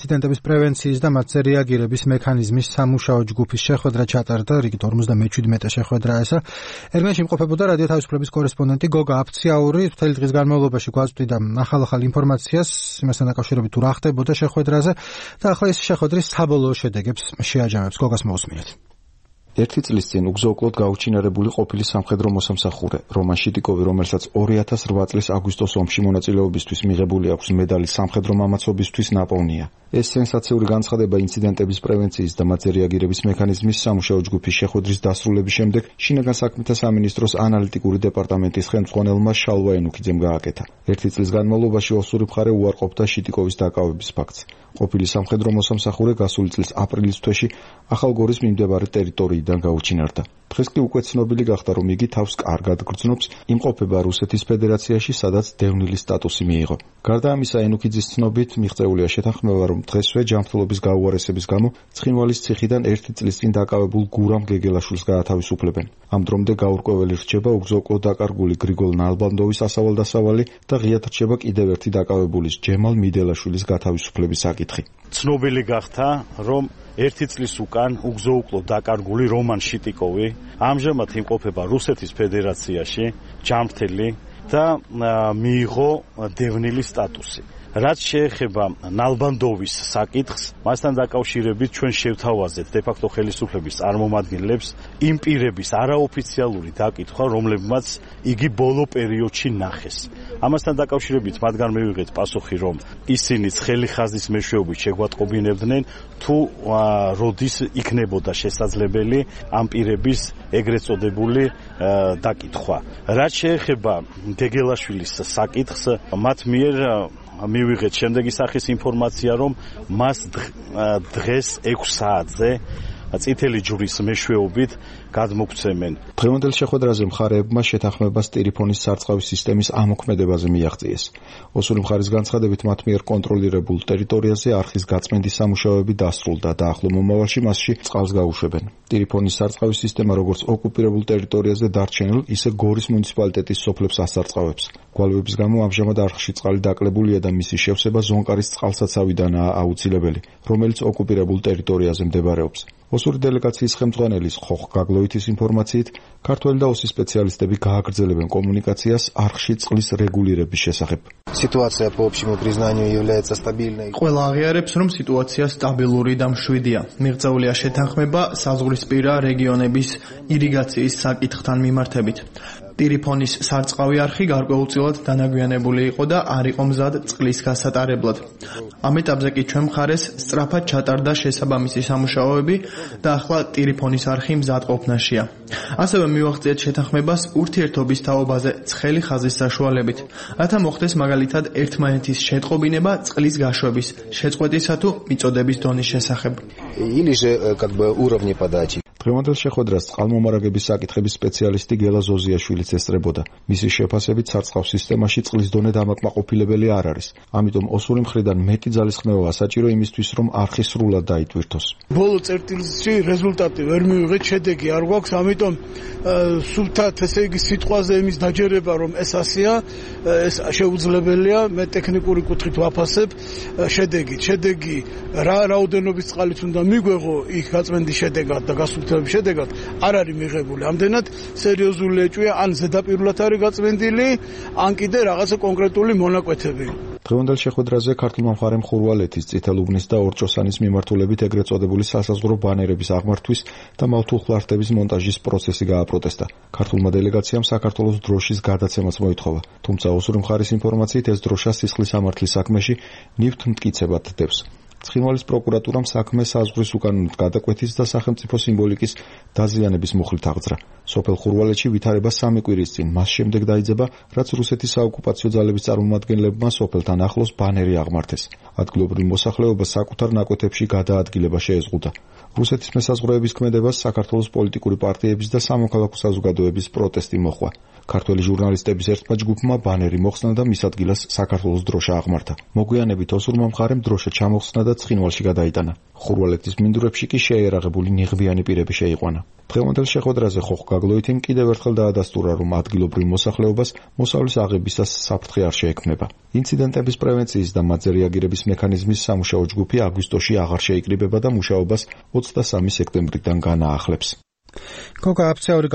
ინციდენტების პრევენციის და მათზე რეაგირების მექანიზმის სამუშაო ჯგუფის შეხვედრა ჩატარდა, რიგით 57 შეხვედრა ესა. ერმენში იმყოფებოდა რადიო თავისუფლების კორესპონდენტი გოგა აფციაური, მთელი დღის განმავლობაში გვაწვდიდა ახალ ინფორმაციას იმასთან დაკავშირებით თუ რა ხდებოდა შეხვედრაზე და ახლა ეს შეხვედრის საბოლოო შედეგებს შეაჯამებს. გოგას მოусმინეთ. ერთი წლის წინ უგზო-უკლოდ გაუჩინარებული ყოფილი სამხედრო მოსამსახურე რომან შიტიკოვი, რომელსაც 2008 წლის აგვისტოს ომში მონაწილეობისთვის მიღებული აქვს მედალი სამხედრო მამაცობისთვის, ნაპოვნია. ეს სენსაციური განცხადება ინციდენტების პრევენციის და მათზე რეაგირების მექანიზმის სამუშაო ჯგუფის შეხვედრის დასრულების შემდეგ შინაგან საქმეთა სამინისტროს ანალიტიკური დეპარტამენტის ხელმძღვანელმა შალვა ენუქიძემ გააკეთა. ერთი წლის განმავლობაში ოსური მხარე უარყოფდა შიტიკოვის დაკავების ფაქტს. ყოფილი სამხედრო მოსამსახურე გასული წლის აპრილის თვეში ახალგორის მიმდებარე ტერიტორიიდან გაუჩინარდა. დღეს კი უკვე ცნობილი გახდა, რომ იგი თავს კარგად გრძნობს, იმყოფება რუსეთის ფედერაციაში, სადაც დევნილი სტატუსი მიიღო. გარდა ამისა, ენუქიძის ცნობით მიღწეულია შეთანხმება, რომ დღესვე ჯანმრთელობის გაუარესების გამო ცხინვალის ციხიდან ერთი წლის წინ დაკავებულ გურამ გეგელაშვილს გაათავისუფლებენ. ამ დრომდე გაურკვეველი რჩება უგზო-უკლოდ დაკარგული გრიგოლ ნალბანდოვის ასავალ-დასავალი და ღიად რჩება კიდევ ერთი დაკავებულის ჯემალ მიდელაშვილის გათავისუფლების საკითხი. ცნობილი გახდა, რომ ერთი წლის უკან უგზო-უკლოდ დაკარგული რომან შიტიკოვი ამჟამად იმყოფება რუსეთის ფედერაციაში, ჯანმრთელი და მიიღო დევნილი სტატუსი. რაც შეეხება ნალბანდოვის საკითხს, მასთან დაკავშირებით ჩვენ შევთავაზეთ დე-ფაქტო ხელისუფლების წარმომადგენლებს იმ პირების არაოფიციალური დაკითხვა, რომლებმაც იგი ბოლო პერიოდში ნახეს. ამასთან დაკავშირებით მათგან მივიღეთ პასუხი, რომ ისინი ცხელი ხაზის მეშვეობით შეგვატყობინებდნენ, თუ როდის იქნებოდა შესაძლებელი ამ პირების ეგრეთ წოდებული დაკითხვა. რაც შეეხება გეგელაშვილის საკითხს, მათ მიერ მივიღეთ შემდეგი სახის ინფორმაცია, რომ მას დღეს 6 საათზე წითელი ჯვრის მეშვეობით გადმოგცემენ. დღევანდელ შეხვედრაზე მხარეებმა შეთანხმებას ტელეფონის სარწყავის სისტემის ამოქმედებაზე მიაღწიეს. ოსური მხარის განცხადებით, მათ მიერ კონტროლირებულ ტერიტორიაზე არხის გაწმენდის სამუშაოები დასრულდა და ახლო მომავალში მასში წყალს გაუშვებენ. ტელეფონის სარწყავის სისტემა როგორც ოკუპირებულ ტერიტორიაზე დარჩენილ, ისე გორის მუნიციპალიტეტის სოფლებს ასარწყავებს. გვალვების გამო ამჟამად არხში წყალი დაკლებულია და მისი შევსება ზონკარის წყალსაცავიდანაა აუცილებელი, რომელიც ოკუპირებულ ტერიტორიაზე მდებარეობს. ოსური დელეგაციის ხელმძღვანელის ხოხ გაგლოვითის ინფორმაციით, ქართველი და ოსი სპეციალისტები გააგრძელებენ კომუნიკაციას არხში წყლის რეგულირების შესახებ. Ситуация по общему признанию является стабильной. ყველა აღიარებს, რომ სიტუაცია სტაბილური და მშვიდია. მიღწეულია შეთანხმება საზღვრისპირა რეგიონების ირიგაციის საკითხთან მიმართებით. ტელეფონის სარწყავი არხი გარკვეულწილად დანაგვიანებული იყო და არ იყო მზად წყლის გასატარებლად. ამ ეტაპზე კი ჩვენ მხარეს სწრაფად ჩატარდა შესაბამისი სამუშაოები და ახლა ტელეფონის არხი მზადყოფნაშია. ასევე მივაღწიეთ შეთანხმებას ურთიერთობის თაობაზე ცხელი ხაზის საშუალებით, რათა მოხდეს მაგალითად ერთმანეთის შეტყობინება წყლის გაშვების, შეწყვეტისა თუ მიწოდების დონის შესახებ. Или же как бы уровни подачи. დღევანდელ შეხვედრას წყალმომარაგების საკითხების სპეციალისტი გელა ზოზიაშვილიც ესწრებოდა. მისი შეფასებით სარწყავ სისტემაში წყლის დონე დამაკმაყოფილებელი არ არის. ამიტომ ოსური მხრიდან მეტი ძალისხმევა საჭირო იმისთვის, რომ არხი სრულად დაიტვირთოს. ბოლო წერტილში რეზულტატი ვერ მივიღეთ, შედეგი არ გვაქვს, ამიტომ სულთად ესე იგი სიტყვაზე იმის დაჯერება, რომ ეს ასეა, ეს შეუძლებელია, მე ტექნიკური კუთხით ვაფასებ შედეგით. შედეგი რა რაოდენობის წყალიც უნდა მიგვეღო იქ გაწმენდის შედეგად და გასულთების შედეგად არ არის მიღებული. ამდენად სერიოზული ეჭვია, ან ზედაპირულად არის გაწმენდილი, ან კიდე რაღაცა კონკრეტული მონაკვეთები. დღევანდელ შეხვედრაზე ქართულმა მხარემ ხურვალეთის, წითელუბნის და ორჭოსანის მიმართულებით ეგრეთ წოდებული სასაზღვრო ბანერების აღმართვის და მავთულხლართების მონტაჟის პროცესი გააპროტესტა. ქართულმა დელეგაციამ საქართველოს დროშის გადაცემაც მოითხოვა, თუმცა ოსური მხარის ინფორმაციით ეს დროშა სისხლის სამართლის საქმეში ნივთთ მტკიცებად დებს. ცხინვალის პროკურატურამ საქმე საზღვრის უკანონით გადაკვეთის და სახელმწიფო სიმბოლიკის დაზიანების მუხლით აღძრა. სოფელ ხურვალეთში ვითარება 3 კვირის წინ, მას შემდეგ დაიძება, რაც რუსეთის საოკუპაციო ძალების წარმომადგენლებმა სოფელთან ახლოს ბანერი აღმართეს. ადგილობრივ მოსახლეობას საკუთარ ნაკვეთებში გადაადგილება შეეზღუდა. რუსეთის მესაზღვრეების ქმედებას საქართველოს პოლიტიკური პარტიების და სამოქალაქო საზოგადოების პროტესტი მოჰყვა. ქართველი ჟურნალისტების ერთმა ჯგუფმა ბანერი მოხსნა და მის ადგილას საქართველოს დროშა აღმართა. მოგვიანებით ოსურმა მხარემ დროშა ჩამოხსნა და და ცხინვალში გადაიტანა. ხურვალეთის მინდვრებში კი შეერაღებული ნიღბიანი პირები შეიყვანა. დღევანდელ შეხვედრაზე ხოხგაგლოით იმ კიდევ ერთხელ დაადასტურა, რომ ადგილობრივ მოსახლეობას მოსავლის აღებისას საფრთხე არ შეექმნება. ინციდენტების პრევენციის და მათზე რეაგირების მექანიზმის სამუშაო ჯგუფი აგვისტოში აღარ შეიკრიბება და მუშაობას 23 სექტემბრიდან განაახლებს. გოგა აფცაური